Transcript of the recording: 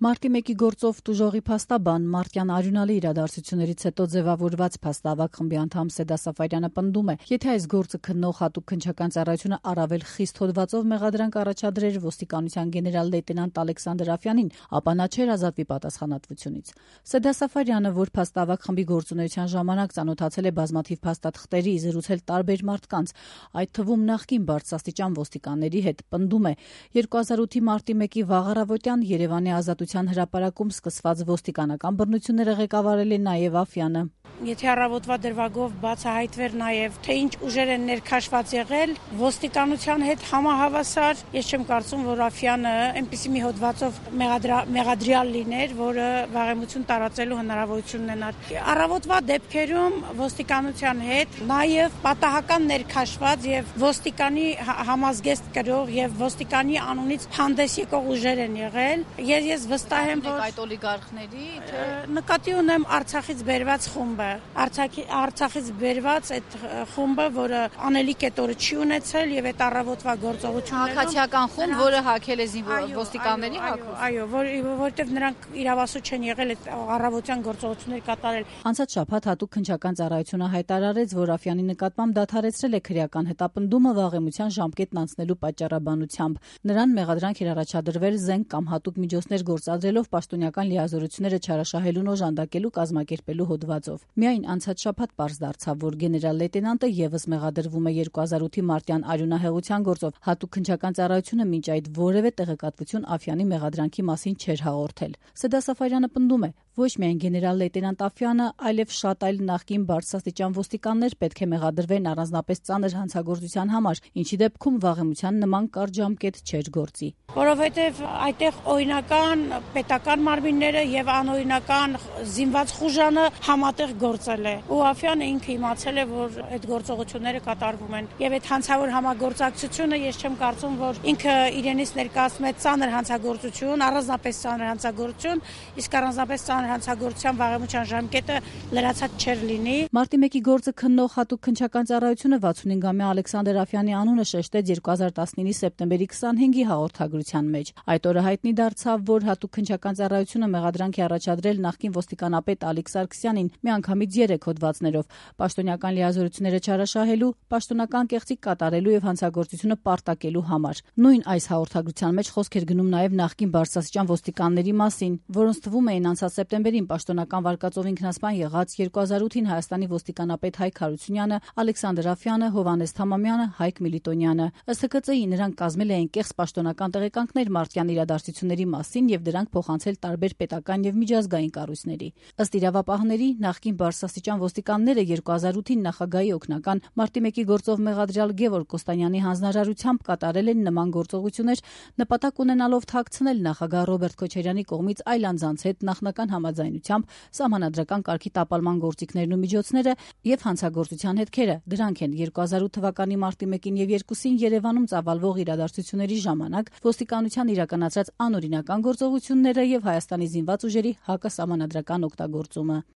Մարտի 1-ի գործով տուժողի փաստաբան Մարտյան արյունալի իրադարձություններից հետո ձևավորված փաստավակ խմբի անդամ Սեդա Սաֆարյանը պնդում է, եթե այս գործը քննող հատուկ քննչական ծառայությունը առավել խիստ հոդվածով մեղադրանք առաջադրեր ոստիկանության գեներալ լեյտենանտ Ալեքսանդր Աֆյանին, ապա նա չէր ազատվի պատասխանատվությունից։ Սեդա Սաֆարյանը, որ փաստավակ խմբի գործունեության ժամանակ ծանոթացել է բազմաթիվ փաստաթղթերի, զրուցել տարբեր մարդկանց, այդ թվում նախկին բարձրաստիճան ոստիկանների հետ, պնդում է, 2008-ի մարտի 1-ի վաղ առավոտյան Երևանի Ազատության հրապարակում սկսված ոստիկանական բռնությունները ղեկավարել է նաև Աֆյանը։ Եթե առավոտվա դրվագով բացահայտվեր նաև, թե ինչ ուժեր են ներքաշված եղել, ոստիկանության հետ համահավասար, ես չեմ կարծում, որ Աֆյանը այնպիսի մի հոդվածով մեղադրյալ լիներ, որը վաղեմություն տարածելու հնարավորություն ունենար։ Առավոտվա դեպքերում ոստիկանության հետ նաև պատահական ներքաշված եւ ոստիկանի համազգեստ կրող եւ ոստիկանի անունից հանդես եկող ուժեր են եղել։ Ես վստահ եմ, որ այդ օլիգարխների նկատի ունեմ Արցախից բերված խումբը, Արցախից բերված այդ խումբը, որը անելիք այդ օրը չի ունեցել եւ այդ առավոտվա գործողություններում քաղաքացիական խումբ, որը հակել է ոստիկանների հակով։ Այո, որովհետեւ նրանք իրավասու չեն եղել այդ առավոտյան գործողություններ կատարել։ Անցած շաբաթ հատուկ քննչական ծառայությունը հայտարարեց, որ Աֆյանի նկատմամբ դադարեցրել է քրեական հետապնդումը վաղեմության ժամկետն անցնելու պատճառաբանությամբ։ Նրան մեղադրանք էր առաջադրվել զենք կամ հատուկ միջոցներ գործադրելով պաշտոնյական լիազորությունները չարաշահելուն օժանդակելու կազմակերպելու հոդվածով։ Միայն անցած շաբաթ պարզ դարձավ, որ գեներալ լեյտենանտը եւս մեղադրվում է 2008-ի մարտյան արյունահեղության գործով։ Հատուկ քննչական ծառայությունը մինչ այդ որևէ տեղեկատվություն Աֆյանի մեղադրանքի մասին չէր հաղորդել։ Սեդա Սաֆարյանը պնդում է, ոչ միայն գեներալ լեյտենանտ Աֆյանը, այլև շատ այլ նախկին բարձրաստիճան ոստիկաններ պետք է մեղադրվեն առանձնապես ծանր հանցագործության համար, ինչի դեպքում վաղեմության նման կարճ ժամկետ չէր գործի։ Որովհետև այդտեղ օրինական պետական մարմինները եւ անօրինական զինված խուժանը համատեղ գործել է։ Ու Աֆյանը ինքը իմացել է, որ այդ գործողությունները կատարվում են։ Եվ այդ հանցավոր համագործակցությունը ես չեմ կարծում, որ ինքը իրենից ներկայացնում է ծանր հանցագործություն, առանձնապես ծանր հանցագործություն, իսկ առանձնապես ծանր հանցագործության վաղեմության ժամկետը լրացած չէր լինի։ Մարտի 1-ի գործը քննող հատուկ քննչական ծառայությունը 65-ամյա Ալեքսանդր Աֆյանի անունը շեշտեց 2019-ի սեպտեմբերի 25-ի հաղորդագրության մեջ։ Այդ օրը հայտնի դարձավ, որ հատուկ քննչական ծառայությունը մեղադրանք է առաջադրել նախկին ոստիկանապետ Ալիկ Սարգսյանին միանգամից 3 հոդվածներով՝ պաշտոնյական լիազորությունները չարաշահելու, պաշտոնական կեղծիք կատարելու եւ հանցագործությունը պարտակելու համար։ Նույն այս հաղորդագրության մեջ խոսք էր գնում նաեւ նախկին բարձրաստիճան ոստիկանների մասին, որոնց թվում էին անցած սեպտեմբերին պաշտոնական վարկածով ինքնասպան եղած 2008-ին Հայաստանի ոստիկանապետ Հայկ Հարությունյանը, Ալեքսանդր Աֆյանը, Հովհաննես Թամամյանը, Հայկ Միլիտոնյանը։ Ըստ ՀԿԾ-ի նրանք կազմել էին կեղծ պաշտոնական տեղեկանքներ մարտյան իրադարձությունների մասին եւ դրանք փոխանցել տարբեր պետական եւ միջազգային կառույցների։ Ըստ իրավապահների, նախկին բարձրաստիճան ոստիկանները 2008-ին նախագահի օգնական մարտի 1-ի գործով մեղադրյալ Գևորգ Կոստանյանի հանձնարարությամբ կատարել են նման գործողություններ, նպատակ ունենալով թաքցնել նախագահ Ռոբերտ Քոչարյանի կողմից այլ անձանց հետ նախնական համաձայնությամբ սահմանադրական կարգի տապալման գործիքներն ու միջոցները եւ հանցագործության հետքերը։ Դրանք են 2008 թվականի մարտի 1-ին եւ 2-ին Երևանում ծավալվող իրադարձությունների ժամանակ ոստիկանության իրականացրած անօրինական գործողությունները եւ Հայաստանի զինված ուժերի հակասահմանադրական օգտագործումը։